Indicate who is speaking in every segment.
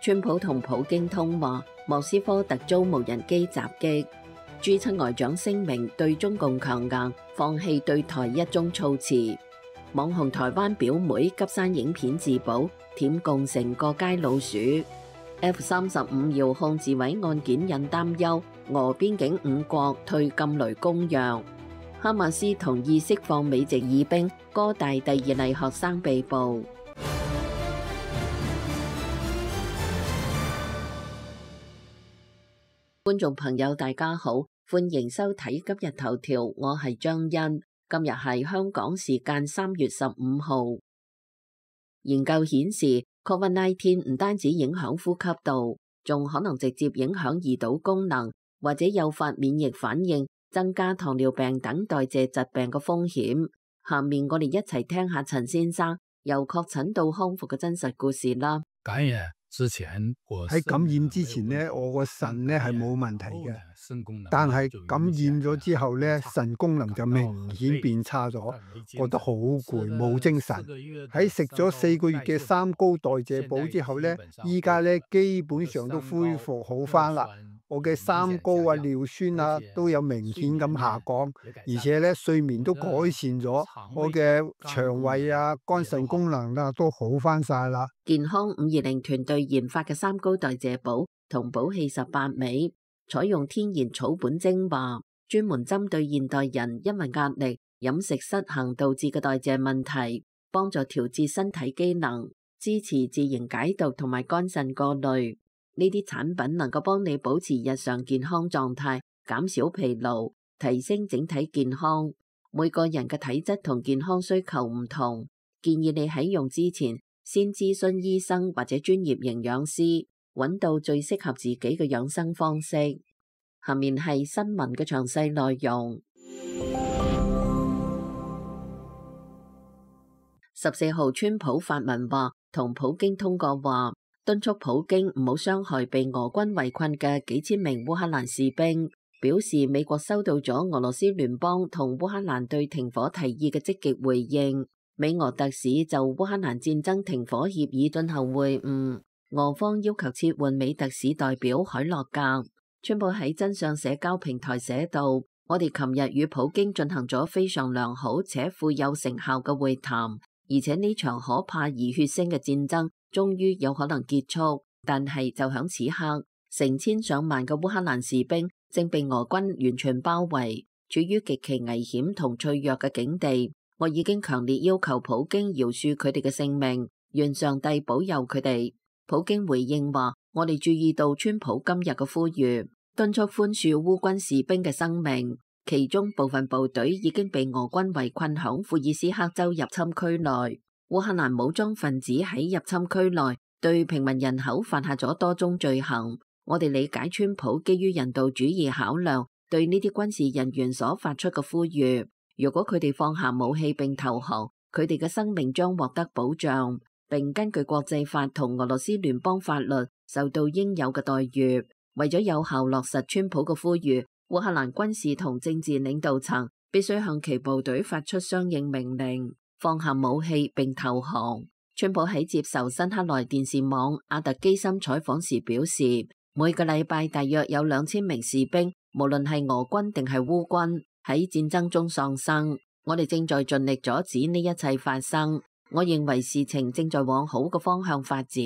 Speaker 1: 川普同普京通話，莫斯科突遭無人機襲擊。G7外長聲明對中共強硬，放棄對台一中措辭。網紅台灣表妹急刪影片自保，舔共乘過街老鼠。F-35遙控自毀案件引擔憂，俄邊境5國退禁雷公約。哈馬斯同意釋放美籍義兵，哥大第2例學生被捕。觀眾朋友大家好，歡迎收睇今日頭條，我係張欣。今日係香港時間3月15號。研究顯示 ，COVID-19 唔單止影響呼吸道，仲可能直接影響胰島功能，或者誘發免疫反應，增加糖尿病等代謝疾病嘅風險。下面我哋一齊聽下陳先生由確診到康復嘅真實故事啦。
Speaker 2: 喺感染之前呢，我個腎呢係冇問題嘅，但係感染咗之後呢，腎功能就明顯變差咗，覺得好攰，冇精神。喺食咗4個月嘅三高代謝補之後呢，依家呢基本上都恢復好返啦。我嘅三高啊、尿酸啊都有明顯咁下降，而且咧睡眠都改善咗，我嘅腸胃啊、肝腎功能啊都好翻晒啦。
Speaker 1: 健康520團隊研發嘅三高代謝補同補氣18味，採用天然草本精華，專門針對現代人因為壓力、飲食失衡導致嘅代謝問題，幫助調節身體機能，支持自然解毒同埋肝腎過濾。呢啲產品能夠幫你保持日常健康狀態，減少疲勞，提升整體健康。每個人嘅體質同健康需求唔同，建議你喺用之前先諮詢醫生或者專業營養師，揾到最適合自己嘅養生方式。下面係新聞嘅詳細內容。14號，川普發文話同普京通過話，敦促普京唔好傷害被俄軍圍困嘅幾千名烏克蘭士兵，表示美國收到咗俄羅斯聯邦同烏克蘭對停火提議嘅積極回應。美俄特使就烏克蘭戰爭停火協議進行會晤，俄方要求撤換美特使代表海洛格。川普喺真相社交平台寫道：我哋琴日與普京進行咗非常良好且富有成效嘅會談，而且呢場可怕而血腥嘅戰爭終於有可能結束，但係就響此刻，成千上萬嘅烏克蘭士兵正被俄軍完全包圍，處於極其危險同脆弱嘅境地。我已經強烈要求普京饒恕佢哋嘅性命，願上帝保佑佢哋。普京回應話：我哋注意到川普今日嘅呼籲，敦促寬恕烏軍士兵嘅生命，其中部分部隊已經被俄軍圍困響庫爾斯克州入侵區內。烏克蘭武裝分子喺入侵區內對平民人口犯下咗多宗罪行。我哋理解川普基於人道主義考量對呢啲軍事人員所發出嘅呼籲。如果佢哋放下武器並投降，佢哋嘅生命將獲得保障，並根據國際法同俄羅斯聯邦法律受到應有嘅待遇。為咗有效落實川普嘅呼籲，烏克蘭軍事同政治領導層必須向其部隊發出相應命令，放下武器並投降。川普喺接受辛克萊電視網阿特基森採訪時表示，每個禮拜大約有2000名士兵，無論係俄軍定係烏軍，喺戰爭中喪生。我哋正在盡力阻止呢一切發生。我認為事情正在往好嘅方向發展。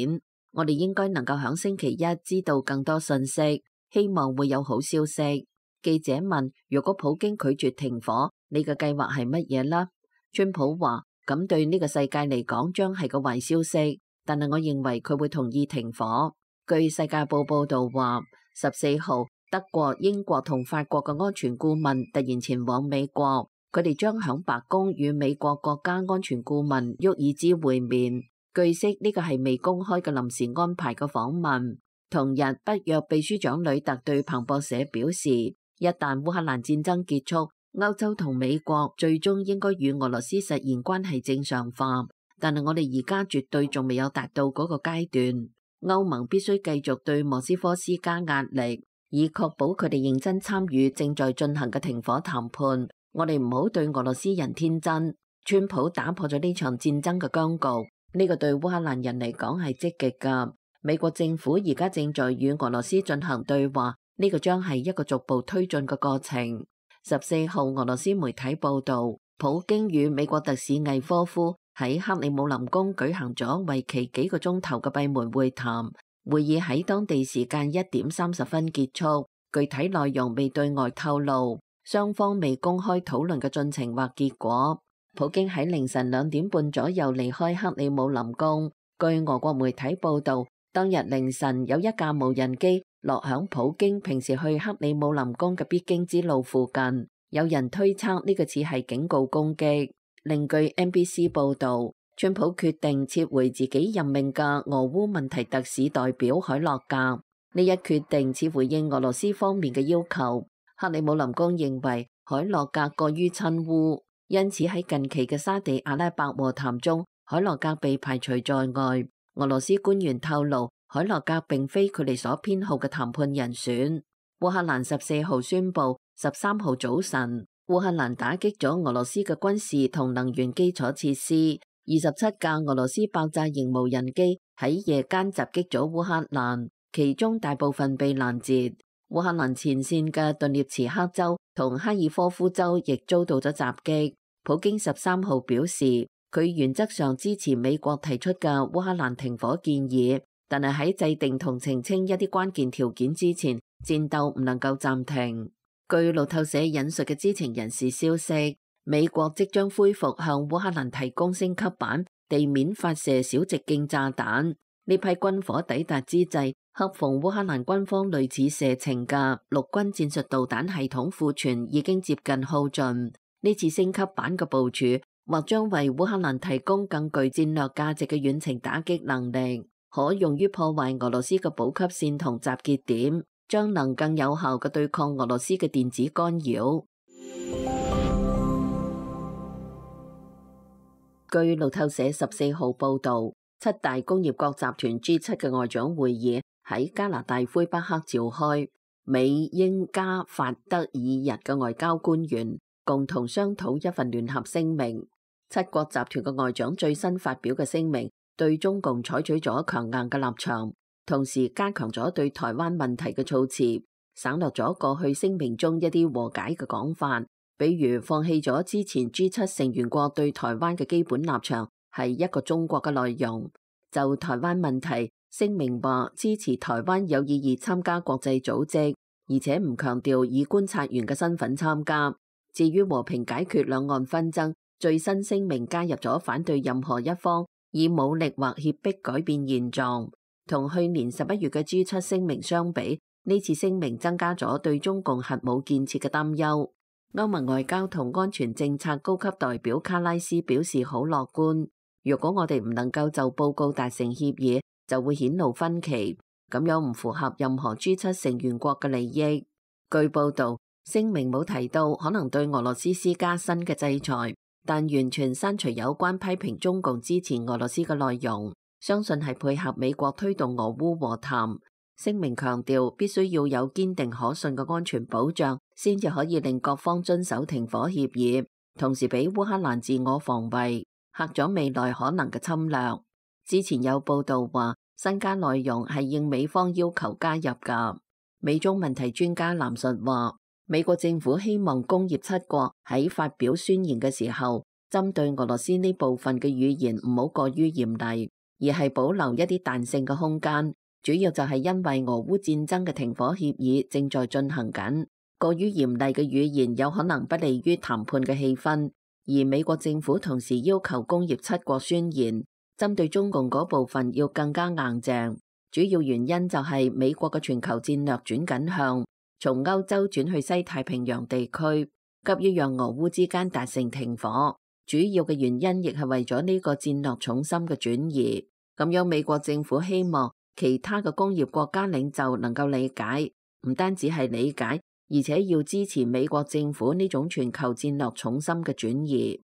Speaker 1: 我哋應該能夠響星期一知道更多信息，希望會有好消息。記者問：如果普京拒絕停火，你嘅計劃係乜嘢呢？川普話：咁對呢個世界嚟講將係個壞消息，但係我認為佢會同意停火。據世界報報道話，14號德國、英國同法國嘅安全顧問突然前往美國，佢哋將響白宮與美國國家安全顧問沃爾茲會面。據悉呢個係未公開嘅臨時安排嘅訪問。同日，北約秘書長呂特對彭博社表示，一旦烏克蘭戰爭結束，歐洲同美國最終應該與俄羅斯實現關係正常化，但係我哋而家絕對仲未有達到嗰個階段。歐盟必須繼續對莫斯科施加壓力，以確保佢哋認真參與正在進行嘅停火談判。我哋唔好對俄羅斯人天真。川普打破咗呢場戰爭嘅僵局，呢個對烏克蘭人嚟講係積極㗎。美國政府而家正在與俄羅斯進行對話，呢個將係一個逐步推進嘅過程。14號，俄羅斯媒體報導，普京與美國特使魏科夫喺克里姆林宮舉行咗為期幾個鐘頭嘅閉門會談，會議喺當地時間1點30分結束，具體內容未對外透露，雙方未公開討論嘅進程或結果。普京喺凌晨2點半左右離開克里姆林宮。據俄國媒體報導，當日凌晨有一架無人機落響普京平時去克里姆林宮嘅必經之路附近，有人推測呢個似係警告攻擊。另據 NBC 報導，川普決定撤回自己任命嘅俄烏問題特使代表海洛格，呢一決定似回應俄羅斯方面嘅要求。克里姆林宮認為海洛格過於親烏，因此喺近期嘅沙地阿拉伯和談中，海洛格被排除在外。俄羅斯官員透露，海洛格並非佢哋所偏好嘅談判人選。烏克蘭14號宣布，13號早晨，烏克蘭打擊咗俄羅斯嘅軍事同能源基礎設施。27架俄羅斯爆炸型無人機喺夜間襲擊咗烏克蘭，其中大部分被攔截。烏克蘭前線嘅頓涅茨克州同哈爾科夫州亦遭到咗襲擊。普京13號表示，佢原則上支持美國提出嘅烏克蘭停火建議，但係喺制定同澄清一啲關鍵條件之前，戰鬥唔能夠暫停。據路透社引述嘅知情人士消息，美國即將恢復向烏克蘭提供升級版地面發射小直徑炸彈。呢批軍火抵達之際，恰逢烏克蘭軍方類似射程嘅陸軍戰術導彈系統庫存已經接近耗盡。呢次升級版嘅部署或將為烏克蘭提供更具戰略價值嘅遠程打擊能力，可用於破壞俄羅斯嘅補給線同集結點，將能更有效嘅對抗俄羅斯嘅電子干擾。據路透社14號報導，7大工業國集團 G7 嘅外長會議喺加拿大魁北克召開，美、英、加、法、德、意、日嘅外交官員共同商討一份聯合聲明。7國集團嘅外長最新發表嘅聲明，對中共採取咗強硬嘅立場，同時加強咗對台灣問題嘅措辭，省略咗過去聲明中一啲和解嘅講法，比如放棄咗之前 G7 成員國對台灣嘅基本立場係一個中國嘅內容。就台灣問題，聲明話支持台灣有意義參加國際組織，而且唔強調以觀察員嘅身份參加。至於和平解決兩岸紛爭，最新聲明加入咗反對任何一方以武力或脅迫改變現狀。同去年11月嘅 G7 聲明相比，呢次聲明增加咗對中共核武建設嘅擔憂。歐盟外交同安全政策高級代表卡拉斯表示好樂觀，如果我哋唔能夠就報告達成協議，就會顯露分歧，咁樣唔符合任何 G7 成員國嘅利益。據報導，聲明冇提到可能對俄羅斯施加新嘅制裁，但完全刪除有關批評中共支持俄羅斯嘅內容，相信係配合美國推動俄烏和談。聲明強調必須要有堅定可信嘅安全保障，先至可以令各方遵守停火協議，同時俾烏克蘭自我防衛，嚇咗未來可能嘅侵略。之前有報道話，新加內容係應美方要求加入㗎。美中問題專家藍述話，美國政府希望工業7國喺發表宣言嘅時候，針對俄羅斯呢部分嘅語言唔好過於嚴厲，而係保留一啲彈性嘅空間。主要就係因為俄烏戰爭嘅停火協議正在進行緊，過於嚴厲嘅語言有可能不利於談判嘅氣氛。而美國政府同時要求工業7國宣言，針對中共嗰部分要更加硬淨。主要原因就係美國嘅全球戰略轉緊向，從歐洲轉去西太平洋地區，急於讓俄烏之間達成停火。主要嘅原因亦係為咗呢個戰略重心嘅轉移。咁樣美國政府希望其他嘅工業國家領袖能夠理解，唔單止係理解，而且要支持美國政府呢種全球戰略重心嘅轉移。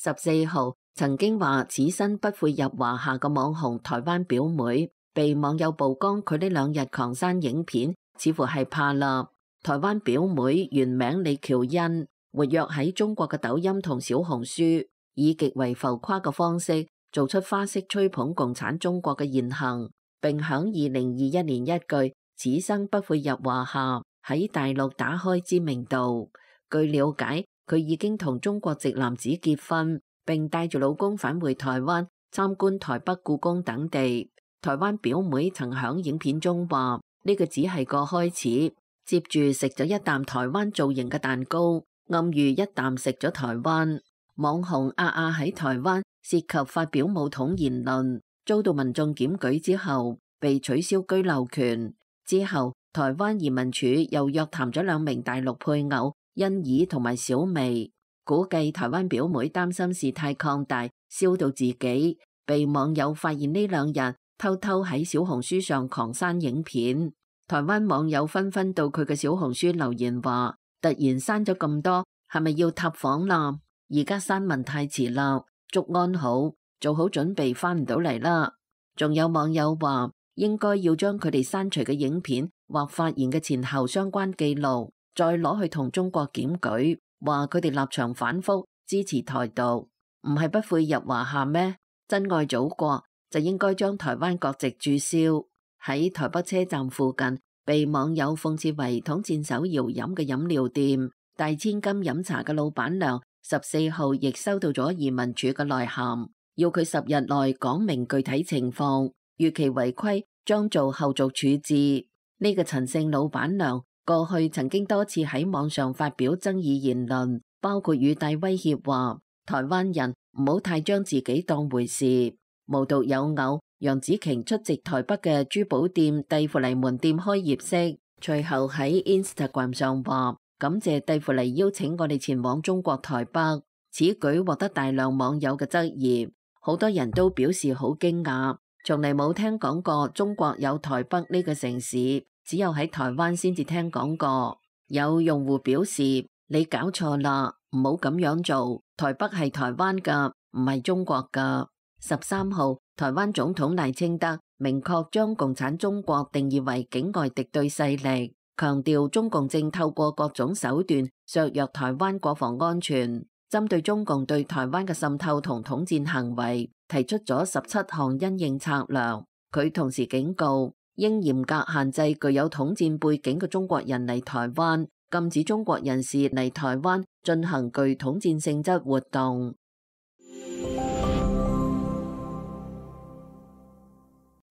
Speaker 1: 14號曾經話此生不會入華夏嘅網紅台灣表妹，被網友曝光佢呢2日狂刪影片，似乎係怕啦。台灣表妹原名李喬恩，活躍喺中國嘅抖音同小紅書。以極為浮誇嘅方式做出花式吹捧共產中國嘅言行，並響2021年一句此生不會入華夏喺大陸打開知名度。據了解，佢已經同中國籍男子結婚，並帶住老公返回台灣參觀台北故宮等地。台灣表妹曾響影片中話呢個只係個開始，接住食咗一啖台灣造型嘅蛋糕，暗喻一啖食咗台灣。網紅阿阿喺台灣涉及發表武統言論，遭到民眾檢舉之後被取消居留權。之後台灣移民署又約談咗2名大陸配偶欣怡同埋小薇，估計台灣表妹擔心事態擴大燒到自己，被網友發現呢2日偷偷喺小紅書上狂刪影片。台灣網友紛紛到佢嘅小紅書留言話，突然刪咗咁多，係咪要塌房啦？而家刪文太遲啦，祝安好，做好準備翻唔到嚟啦。仲有網友話，應該要將佢哋刪除嘅影片或發言嘅前後相關記錄，再攞去同中國檢舉，話佢哋立場反覆，支持台獨，唔係不悔入華夏咩？真愛祖國就應該將台灣國籍註銷。喺台北車站附近被網友諷刺為統戰手搖飲嘅飲料店，大千金飲茶嘅老闆娘14號亦收到咗移民署嘅來函，要佢10日內講明具體情況，逾期違規將做後續處置。呢個陳姓老闆娘過去曾經多次喺網上發表爭議言論，包括語帶威脅話台灣人唔好太將自己當回事。無獨有偶，楊紫瓊出席台北嘅珠寶店蒂芙尼門店開業式，隨後喺 Instagram 上話感謝蒂芙尼邀請我哋前往中國台北。此舉獲得大量網友嘅質疑，好多人都表示好驚訝，從嚟冇聽講過中國有台北呢個城市，只有喺台灣先至聽講過。有用戶表示你搞錯啦，唔好咁樣做，台北係台灣噶，唔係中國噶。13號，台灣總統賴清德明確將共產中國定義為境外敵對勢力，強調中共正透過各種手段削弱台灣國防安全。針對中共對台灣嘅滲透同統戰行為，提出咗17項因應策略。佢同時警告，應嚴格限制具有統戰背景嘅中國人嚟台灣，禁止中國人士嚟台灣進行具統戰性質活動。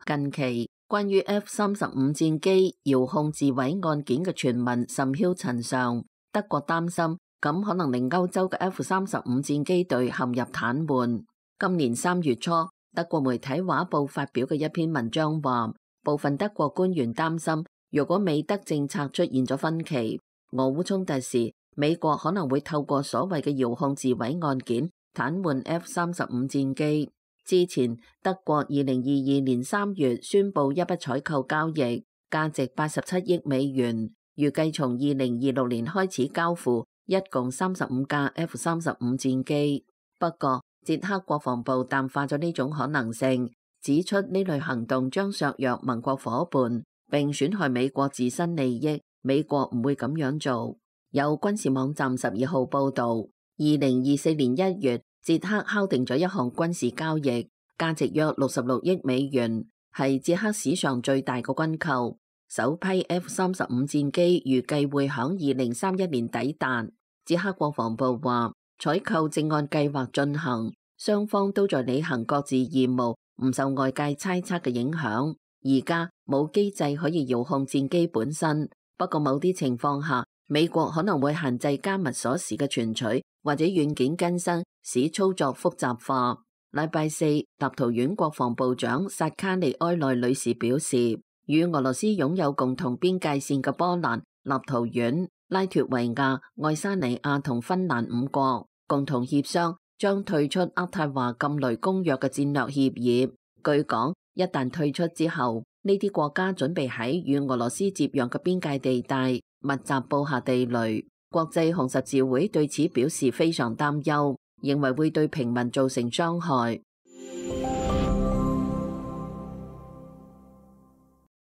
Speaker 1: 近期關於 F-35戰機遙控自毀案件嘅傳聞甚囂塵上，德國擔心咁可能令歐洲嘅 F-35戰機隊陷入癱瘓。今年3月初，德國媒體畫報發表嘅一篇文章話，部分德國官員擔心，如果美德政策出現咗分歧，俄烏衝突時，美國可能會透過所謂嘅遙控自毀案件癱瘓 F-35戰機。之前，德國2022年3月宣布一筆採購交易，價值87億美元，預計從2026年開始交付，一共35架 F-35戰機。不過，捷克國防部淡化咗呢種可能性，指出呢類行動將削弱盟國夥伴，並損害美國自身利益。美國唔會咁樣做。有軍事網站12號報導，2024年1月，捷克敲定咗一項軍事交易，價值約66億美元，係捷克史上最大嘅軍購。首批 F-35戰機預計會響2031年抵達。捷克國防部話，採購正按計劃進行，雙方都在履行各自義務，唔受外界猜測嘅影響。而家冇機制可以遙控戰機本身，不過某啲情況下，美國可能會限制加密鎖匙嘅存取，或者軟件更新，使操作複雜化。禮拜四，立陶宛國防部長薩卡利埃內女士表示，與俄羅斯擁有共同邊界線嘅波蘭、立陶宛、拉脱維亞、愛沙尼亞同芬蘭5國共同協商，將退出渥太華禁雷公約嘅戰略協議。據講，一旦退出之後，呢啲國家準備喺與俄羅斯接壤嘅邊界地帶密集布下地雷。國際紅十字會對此表示非常擔憂，認為會對平民造成傷害。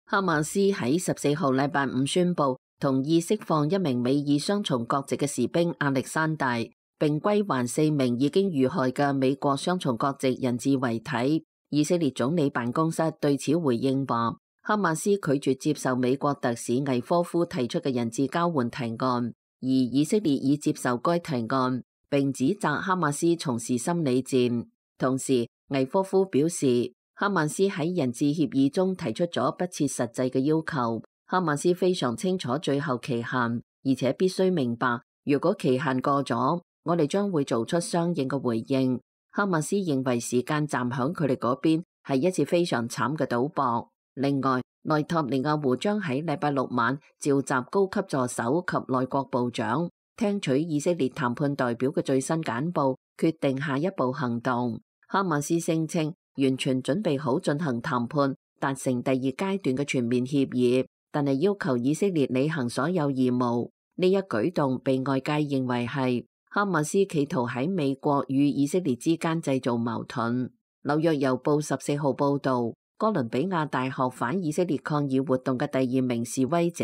Speaker 1: 哈馬斯喺14號禮拜五宣布同意釋放一名美意雙重國籍嘅士兵亞歷山大，並歸還4名已經遇害嘅美國雙重國籍人質遺體。以色列總理辦公室對此回應話，哈馬斯拒絕接受美國特使魏科夫提出嘅人質交換提案，而以色列已接受該提案，並指責哈馬斯從事心理戰。同時，魏科夫表示，哈馬斯喺人質協議中提出咗不切實際嘅要求。哈馬斯非常清楚最後期限，而且必須明白，如果期限過咗，我哋將會做出相應嘅回應。哈馬斯認為時間站響佢哋嗰邊係一次非常慘嘅賭博。另外，內塔尼亞胡將喺禮拜6晚召集高級助手及內閣部長，聽取以色列談判代表嘅最新簡報，決定下一步行動。哈馬斯聲稱完全準備好進行談判，達成第2階段嘅全面協議，但係要求以色列履行所有義務。呢一舉動被外界認為係哈馬斯企圖喺美國與以色列之間製造矛盾。紐約郵報14號報導，哥倫比亞大學反以色列抗議活動嘅第2名示威者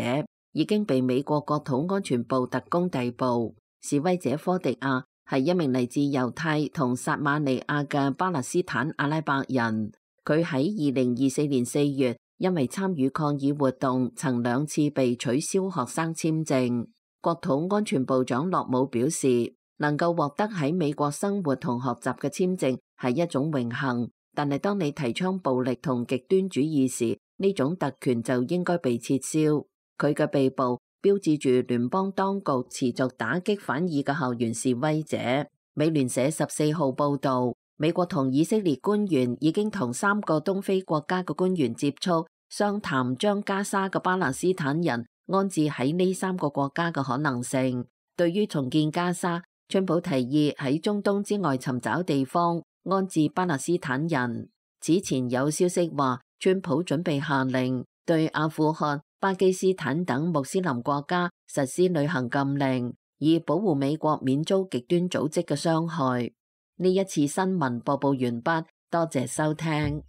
Speaker 1: 已經被美國國土安全部特工逮捕。示威者科迪亞係一名嚟自猶太同撒馬利亞嘅巴勒斯坦阿拉伯人。佢喺2024年4月因為參與抗議活動，曾2次被取消學生簽證。國土安全部長洛姆表示，能夠獲得喺美國生活同學習嘅簽證係一種榮幸，但係當你提倡暴力同極端主義時，呢種特權就應該被撤銷。佢嘅被捕標誌住聯邦當局持續打擊反以嘅校園示威者。美聯社14號報導，美國同以色列官員已經同3個東非國家嘅官員接觸，商談將加沙嘅巴勒斯坦人安置喺呢3個國家嘅可能性。對於重建加沙，川普提議喺中東之外尋找地方安置巴勒斯坦人。此前有消息話，川普準備下令對阿富汗、巴基斯坦等穆斯林國家實施旅行禁令，以保護美國免遭極端組織嘅傷害。呢一次新聞播報完畢，多謝收聽。